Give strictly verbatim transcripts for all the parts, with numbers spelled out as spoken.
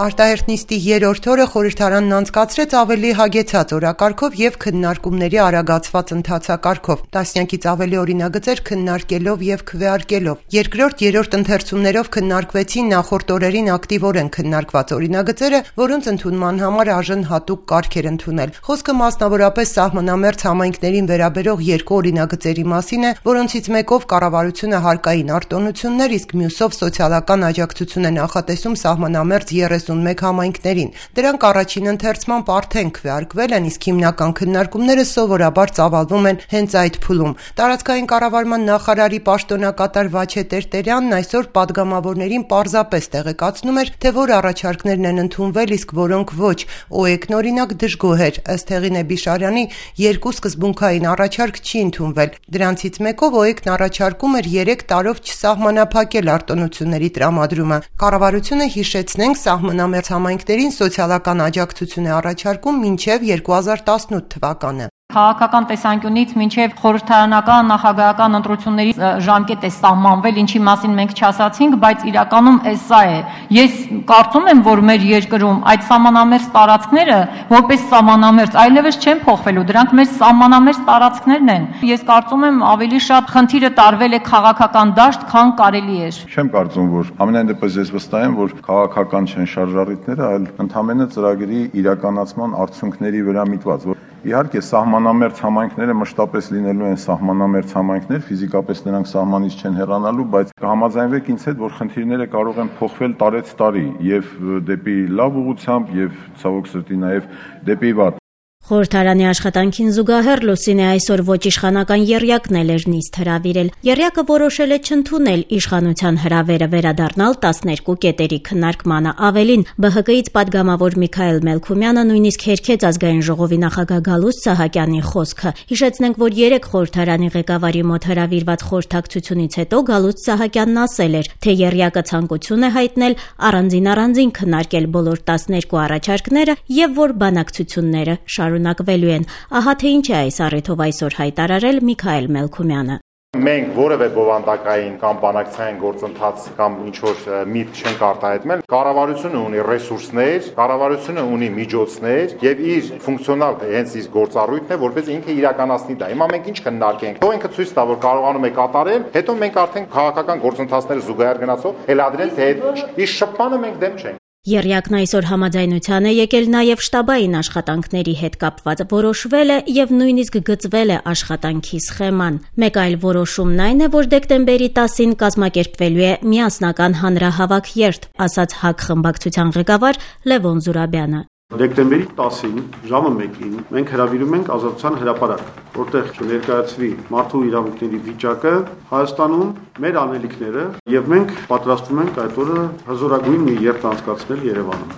Արտահերթ նիստի երրորդ օրը խորհրդարանն անցկացրեց ավելի հագեցած օրակարգով եւ քննարկումների արագացված ընթացակարգով, տասնյակից ավելի օրինագծեր քննարկելով եւ քվեարկելով։ Երկրորդ, երրորդ ընթերցումներով քննարկվեցին նախորդ օրերին ակտիվորեն քննարկված օրինագծերը, որոնց ընդունման համար արժեն հատուկ կարգ էր ընդունել։ Խոսքը մասնավորապես սահմանամերձ համայնքներին վերաբերող երկու օրինագծերի մասին է, որոնցից մեկով կառավարությունը հարկային արտոնություններ, իսկ մյուսով սոցիալական աջակցություն է նախատեսում սահմանամերձ երեսունմեկ համայնքներին։ Դրանք առաջին ընթերցման արդեն քվեարկվել են, իսկ հիմնական քննարկումները սովորաբար ծավալվում են հենց այդ փուլում։ Տարածքային կառավարման նախարարի պաշտոնակատար Վաչե Տերտերյանն այսօր падգամավորներին պարզապես տեղեկացնում էր, թե որ առաջարկներն են ընդունվել, իսկ որոնք ոչ։ ՕԵԿ-ն օրինակ դժգոհ էր, ըստ Հեղինե Բիշարյանի, երկու սկզբունքային առաջարկ չի ընդունվել։ Դրանցից մեկով ՕԵԿ-ն առաջարկում էր երեք տարով չսահմանափակել արտոնությունների տրամադրումը։ Կառավարությունը, հիշեցնենք, սահմանամերձ համայնքներին սոցիալական աջակցություն է առաջարկում մինչև երկու հազար տասնութ թվականը։ Քաղաքական տեսանկյունից մինչև խորհրդարանական նախագահական ընտրությունների ժամկետ է սահմանվել, ինչի մասին մենք չասացինք, բայց իրականում էս սա է։ Ես կարծում եմ, որ մեր երկրում այդ սահմանամերձ տարածքները որպես սահմանամերձ այլևս չեն փոխվելու, դրանք մեր սահմանամերձ տարածքներն են։ Ես կարծում եմ ավելի շատ խնդիրը տարվել է քաղաքական դաշտ, քան կարելի էր։ Չեմ կարծում, որ ամենայն դեպս ես վստահ եմ, որ քաղաքական չեն շարժառիթները, այլ ընդհանրապես ծրագրի իրականացման արդյունքների վրա միտված, որ իհարկե սահմանամերձ համայնքները մշտապես լինելու են սահմանամերձ համայնքներ, ֆիզիկապես նրանք սահմանից չեն հեռանալու, բայց կհամաձայնվեք ինձ հետ, որ խնդիրները կարող են փոխվել տարեց տարի եւ դեպի լավ ուղղությամբ եւ ցավոք սրտի նաեւ դեպի վատ։ Խորհրդարանի աշխատանքին զուգահեռ Լուսինե այսօր ոչ իշխանական եռյակն էլ էր նիստ հրավիրել։ Եռյակը որոշել է չընդունել իշխանության հրավերը վերադառնալ տասներկու կետերի քննարկմանը։ Ավելին, ԲՀԿ-ից падգամավոր Միքայել Մելքումյանը նույնիսկ հերքեց ազգային ժողովի նախագահ Գալուստ Սահակյանի խոսքը։ Հիշեցնենք, որ երեք խորհրդարանի ղեկավարի մոտ հրավիրված խորհրդակցությունից հետո Գալուստ Սահակյանն ասել էր, թե եռյակը ցանկություն է հայտնել առանձին-առանձին քննարկել բոլոր տասներկու առաջարկները եւ որ բանակցությունները շարունակվելու են։ Ահա թե ինչ է այս առիթով այսօր հայտարարել Միքայել Մելքումյանը։ Մենք որևէ բովանդակային կամ բանակցային գործընթաց կամ ինչ-որ միտք չենք արտահայտել։ Կառավարությունը ունի ռեսուրսներ, կառավարությունը ունի միջոցներ եւ իր ֆունկցիոնալ հենց իր գործառույթն է, որպես ինքը իրականացնի դա։ Հիմա մենք ինչ կնարկենք։ Թող ինքը ցույց տա, որ կարողանում է կատարել, հետո մենք արդեն քաղաքական գործընթացները զուգահեռ գնացող հելադրենք, թե իր շփմանը մենք դեմ չենք։ Եռյակն այսօր համաձայնության է եկել նաև շտաբային աշխատանքների հետ կապված, որոշվել է եւ նույնիսկ գծվել է աշխատանքի սխեման։ Մեկ այլ որոշումն այն է, որ դեկտեմբերի տասին կազմակերպվելու է միասնական հանրահավաք երթ, ասաց ՀԱԿ խմբակցության ղեկավար Լևոն Զուրաբյանը։ Դեկտեմբերի տասին ժամը մեկին մենք հրավիրում ենք Ազատության հրապարակ, որտեղ կներկայացվի մարդու իրավունքների վիճակը Հայաստանում, մեր անելիքները, եւ մենք պատրաստվում ենք այդ օրը հզորագույն մի երթ անցկացնել Երևանում։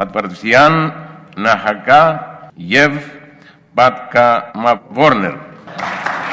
Պատվիրության նախագահ եւ պատգամավորներ։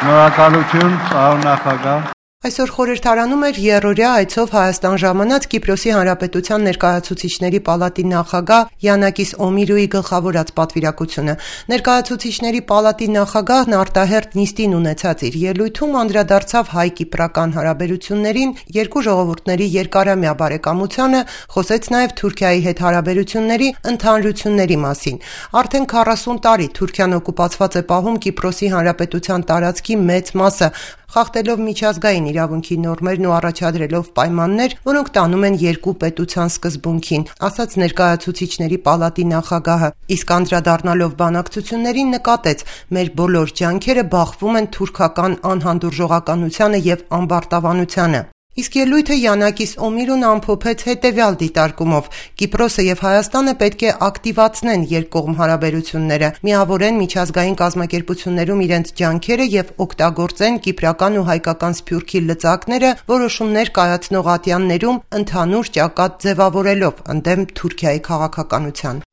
Շնորհակալություն, պարոն նախագահ։ Այսօր խորհրդարանում էր երրորդյա այցով Հայաստան ժամանած Կիպրոսի Հանրապետության ներկայացուցիչների պալատի նախագահ Յանակիս Օմիրուի գլխավորած պատվիրակությունը։ Ներկայացուցիչների պալատի նախագահն արտահերթ նիստին ունեցած իր ելույթում անդրադարձավ հայ-կիպրական հարաբերություններին, երկու ժողովուրդների երկարամյա բարեկամությանը, խոսեց նաև Թուրքիայի հետ հարաբերությունների ընդհանրությունների մասին։ Արդեն քառասուն տարի Թուրքիան օկուպացված է պահում Կիպրոսի Հանրապետության տարածքի մեծ մասը, խախտելով միջազգային իրավունքի նորմերն ու առաջադրելով պայմաններ, որոնք տանում են երկու պետության սկզբունքին, ասաց ներկայացուցիչների պալատի նախագահը։ Իսկ անդրադառնալով բանակցություններին նկատեց, մեր բոլոր ջանքերը բախվում են թուրքական անհանդուրժողականությանը եւ ամբարտավանությանը։ Իսկ ելույթը Յանակիս Օմիրուն ամփոփեց հետևյալ դիտարկումով. Կիպրոսը եւ Հայաստանը պետք է ակտիվացնեն երկկողմ հարաբերությունները, միավորեն միջազգային կազմակերպություններում իրենց ջանքերը եւ օգտագործեն կիպրական ու հայկական սփյուռքի լծակները որոշումներ կայացնող ատյաններում ընդհանուր ճակատ ձևավորելով ընդդեմ Թուրքիայի քաղաքականության։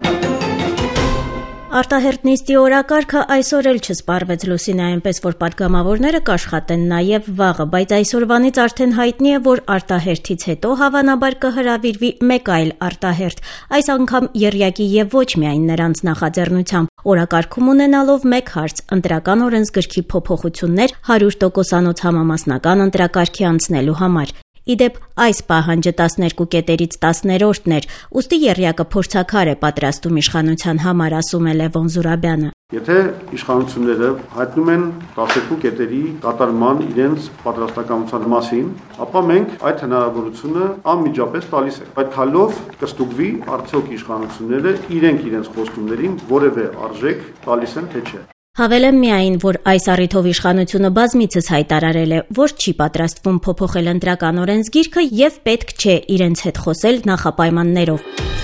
Արտահերթ նիստի օրակարգը այսօր էլ չսպառվեց Լուսինե, այնպես որ падգամավորները կաշխատեն նաև վաղը, բայց այսօրվանից արդեն հայտնի է, որ արտահերթից հետո հավանաբար կհրավիրվի մեկ այլ արտահերթ, այս անգամ եռյակի եւ ոչ միայն նրանց նախաձեռնությամբ։ Օրակարգում ունենալով մեկ հարց՝ ընտրական օրենսգրքի փոփոխություններ հարյուր տոկոսանոց համամասնական ընտրակարգի անցնելու համար։ Իդեպ այս պահանջը տասներկու կետերից տասներորդն էր, ուստի եռյակը փորձաքար է պատրաստում իշխանության համար, ասում է Լևոն Զուրաբյանը։ Եթե իշխանությունները հայտնում են տասներկու կետերի կատարման իրենց պատրաստակամության մասին, ապա մենք այդ հնարավորությունը անմիջապես տալիս ենք։ Այդ քայլով կստուգվի արդյոք իշխանությունները իրենք իրենց խոստումներին որևէ արժեք տալիս են թե չէ։ Հավելեմ միայն, որ այս առիթով իշխանությունը բազմիցս հայտարարել է, որ չի պատրաստվում փոփոխել ընտրական օրենսգիրքը եւ պետք չէ իրենց հետ խոսել նախապայմաններով։